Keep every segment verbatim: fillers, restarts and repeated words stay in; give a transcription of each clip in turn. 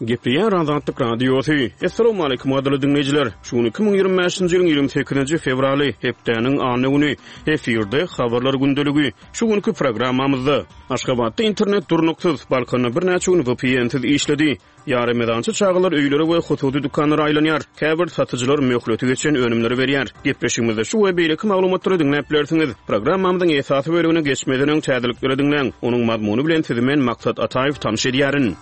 Gepleýär Azatlyk Radiosy. Assalamualaikum gadyrly diňleýjiler. Şu gün iki müň ýigrimi bäşinji ýylyň ýigrimi sekizinji fewraly, hepdäniň anna güni. Efirde habarlar gündeligi. Şu günki programmamyzda Aşgabatda internet durnuksyz, Balkanda birnäçe gün V P N-siz işledi. Ýaremezançy çagalar öýlere we hususy dükanlara aýlanýar. Käbir satyjylar möhleti geçen önümleri berýär. Gepleşigimizde şu we beýleki maglumatlary diňläp bilersiňiz. Programmamyzyň esasy bölümine geçmeden öň täzelikleri diňläň. Onuň mazmuny bilen sizi men Maksat Ataýew tanyş edýärin.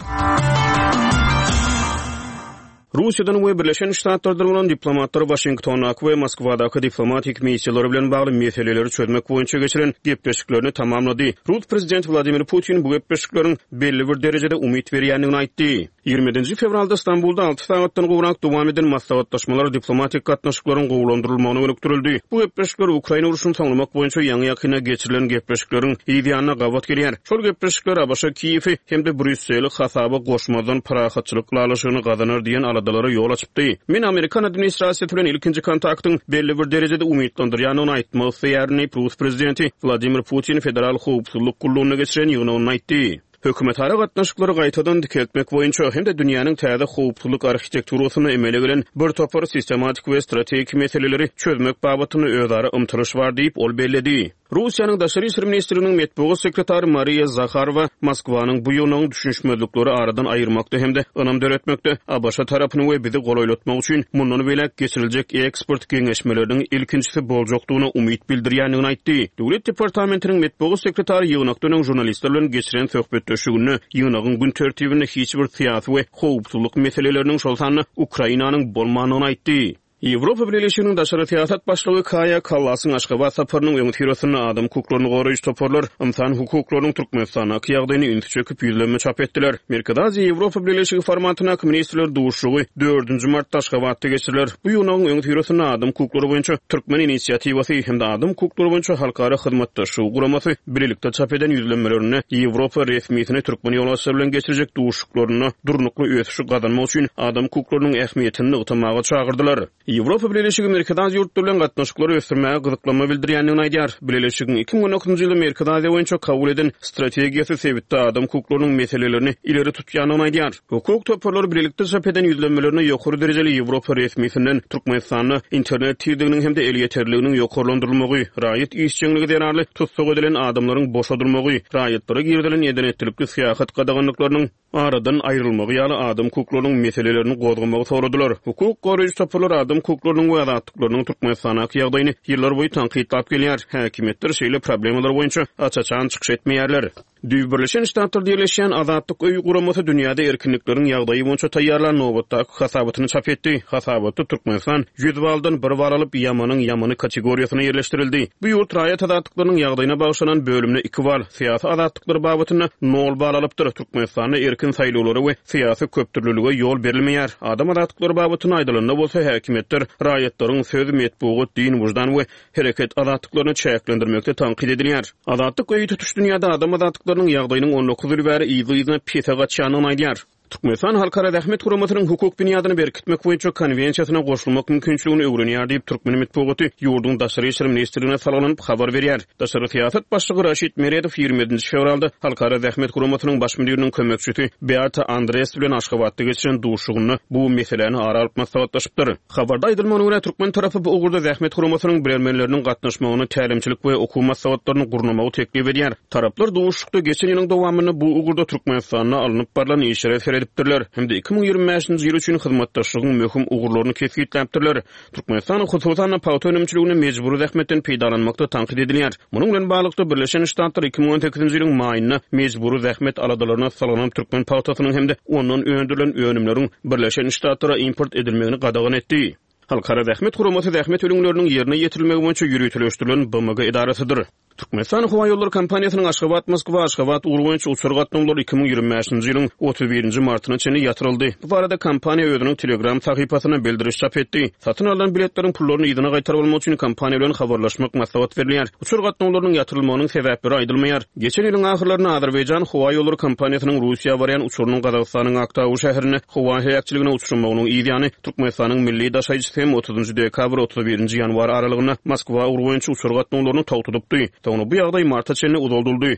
Russiýadan we Birleşen Ştatlardan bolan diplomatlar Washingtondaky we Moskwadaky diplomatik missiýalary bilen bagly meseleleri çözmek boýunça geçiren gepleşiklerini tamamlady. Rus prezident Vladimir Putin bu gepleşikleriň belli bir derejede umyt berýändigini aýtdy. ýigrimi ýedinji fewralda Stambulda alty sagatdan gowrak dowam eden maslahatlaşmalar diplomatik gatnaşyklaryň gowulandyrylmagyna gönükdirildi. Bu gepleşikler Ukraina urşuny soňlamak boýunça ýaňy ýakynda geçirilen gepleşikleriň yz ýanyna gabat gelýär. Şol gepleşikler A B Ş Kiýewi hem-de Brýusseli hasaba goşmazdan parahatçylyk ylalaşygyny gazanar diýen aladalara ýol açypdy. Men Amerikan administrasiýasy bilen ilkinji kontaktyň belli bir derejede umytlandyrýandygyny aýtmak isleýärin diýip Rus prezidenti Vladimir Putin Federal Howpsuzlyk Gullugyna geçiren ýygnagynda aýtdy. Hökümetara gatnaşyklary gaýtadan dikeltmek boýunça hem-de dünýäniň täze howpsuzlyk arhitekturasyna emele gelen bir topar sistematik we strategik meseleleri çözmek babatynda özara ymtylyş bar diýip ol belledi. Russiýanyň Daşary işler ministriniň metbugat sekretary Mariýa Zaharowa Moskwanyň bu ýygynyň düşünişmezlikleri aradan aýyrmakda hem-de ynam döretmekde A B Ş tarapyny we bizi golaýlatmak üçin mundan beýläk geçiriljek eksport geňeşmeleriniň ilkinjisi boljakdygyna umyt bildirýändigini aýtdy. Döwlet departamentiniň metbugat sekretary ýygnakdan öň žurnalistler bilen geçiren söhbetdeşliginde ýygnagyň gün tertibinde hiç bir syýasy we howpsuzlyk meseleleriniň şol sanda Ukrainanyň bolmandygyny aýtdy. Ýewropa Bileleşiginiň daşary syýasat başlygy Kaýa Kallasyň Aşgabat saparynyň öňüsyrasynda adam hukuklaryny goraýjy toparlar ynsan hukuklarynyň Türkmenistandaky ýagdaýyny ünsi çekip ýüzlenme çap etdiler. Merkezi Aziýa Ýewropa Bileleşigi formatyndaky ministrler duşuşygy dördünji martda Aşgabatda geçiriler. Bu ýygnagyň öňüsyrasynda adam hukuklary boýunça Türkmen inisiatiwasy hem-de adam hukuklary boýunça halkara hyzmatdaşlygy guramasy birlikde çap eden ýüzlenmelerinde Ýewropa resmisini türkmen ýolbaşçylary bilen geçirjek duşuşyklarynda durnukly ösüşi gazanmak üçin adam hukuklarynyň ähmiýetini nygtamaga çagyrdylar. Ýewropa Bileleşigi Merkezi Aziýa ýurtlary bilen gatnaşyklary ösdürmäge gyzyklanma bildirýändigini aýdýar. Bileleşigiň iki müň on dokuzynjy ýylda Merkezi Aziýa boýunça kabul eden strategiýasy sebitde adam hukuklarynyň meselelerini ileri tutýandygyny aýdýar. Hukuk toparlary birlikde çap eden ýüzlenmelerine ýokary derejeli Ýewropa resmisinden Türkmenistanda internet tizliginiň hem-de elýeterliginiň ýokarlandyrylmagy, raýat işjeňligi zerarly tussag edilen adamlaryň boşadylmagy, raýatlara girizilen edenetlilikli syýahat gadaganlyklarynyň aradan aýrylmagy ýaly adam hukuklarynyň meselelerini gozgamagy soradylar. Hukuk goraýjy toparlar adam hukuklarynyň we azatlyklarynyň Türkmenistandaky ýagdaýyny ýyllar boýy tankytlap gelýär. Häkimiýetler şeýle problemalar boýunça aç-açan çykyş etmeýärler. Düýp Birleşen Ştatlarda ýerleşýän Azatlyk öýi guramasy dünýäde erkinlikleriň ýagdaýy boýunça taýýarlan nobatdaky hasabatyny çap etdi. Hasabatda Türkmenistan ýüz baldan bir bal alyp ýamanyň ýamany kategoriýasyna ýerleşdirildi. Bu ýurt raýat azatlyklarynyň ýagdaýyna bagşlanan bölümine iki bal, syýasy azatlyklar babatynda nol bal alypdyr. Türkmenistanda erkin saýlawlara we syýasy köpdürlülige ýol berilmeýär. Adam azatlyklary babatynda aýdylanda bolsa häkimiýetler raýatlaryň söz, metbugat, din, wyždan we hereket azatlyklaryny çäklendirmekde tankyt edilýär. Azatlyk öýi tutuş dünýäde adam azatlyklarynyň ýagdaýynyň on dokuz ýyl bäri yzly-yzyna pese gaçýandygyny aýdýar. Türkmenistan Halkara Zähmet Guramasynyň hukuk binýadyny berkitmek boýunça konwensiýasyna goşulmak mümkinçiligini öwrenýär diýip Türkmen metbugaty ýurduň Daşary işler ministrligine salgylanyp habar berýär. Daşary syýasat başlygy Raşid Meredow ýigrimi ýedinji fewralda Halkara Zähmet Guramasynyň baş müdiriniň kömekçisi Beata Andres bilen Aşgabatda geçiren duşuşygynda bu meseläni ara alyp maslahatlaşypdyr. Habarda aýdylmagyna görä Türkmen tarapy bu ugurda Zähmet Guramasynyň bilermenleriniň gatnaşmagyny tälimçilik we okuw maslahatlaryny gurnamagy teklip edýär. Taraplar duşuşykda geçen ýylyň dowamynda bu ugurda Türkmenistanda alnyp barlan işlere seredipdirler. Hem-de iki müň ýigrimi bäşinji ýyl üçin hyzmatdaşlygyň möhüm ugurlaryny kesgitläpdirler. Türkmenistan hususan pagta önümçiliginde mejbury zähmetden peýdalanmakda tankyt edilýär. Munuň bilen baglylykda Birleşen Ştatlar iki müň on sekizinji ýylyň maýynda mejbury zähmet aladalaryna salgylanyp türkmen pagtasynyň hem-de ondan öndürilen önümleriň Birleşen Ştatlara import edilmegini gadagan etdi. Halkara Zähmet Guramasy zähmet ülňüleriniň ýerine ýetirilmegi boýunça ýöriteleşdirilen B M G edarasydyr. Türkmenistan Howa Ýollary kompaniýasynyň Aşgabat Moskwa Aşgabat ugry boýunça uçar gatnawlary iki müň ýigrimi bäşinji ýylyň otuz birinji martyna çenli ýatyryldy. Bu barada kompaniýa özüniň Telegram sahypasyna bildiriş çap etdi. Satyn alan biletleriň pullaryny yzyna gaýtaryp almak üçin kompaniýa bilen habarlaşmak maslahat berilýär. Uçar gatnawlarynyň ýatyrylmagynyň sebäpleri aýdylmaýar. Geçen ýylyň ahyrlarynda Azerbaýjan Howa Ýollary kompaniýasynyň Russiýa barýan uçarynyň Gazagystanyň Aktau şäherinde howa heläkçiligine uçramagynyň yz ýany Türkmenistanyň milli daşaýjysy hem otuzynjy dekabr otuz birinji ýanwar aralygynda Moskwa ugry boýunça uçar gatnawlaryny togtadypdy. Soňra bu ýagdaý marta çenli uzaldyldy.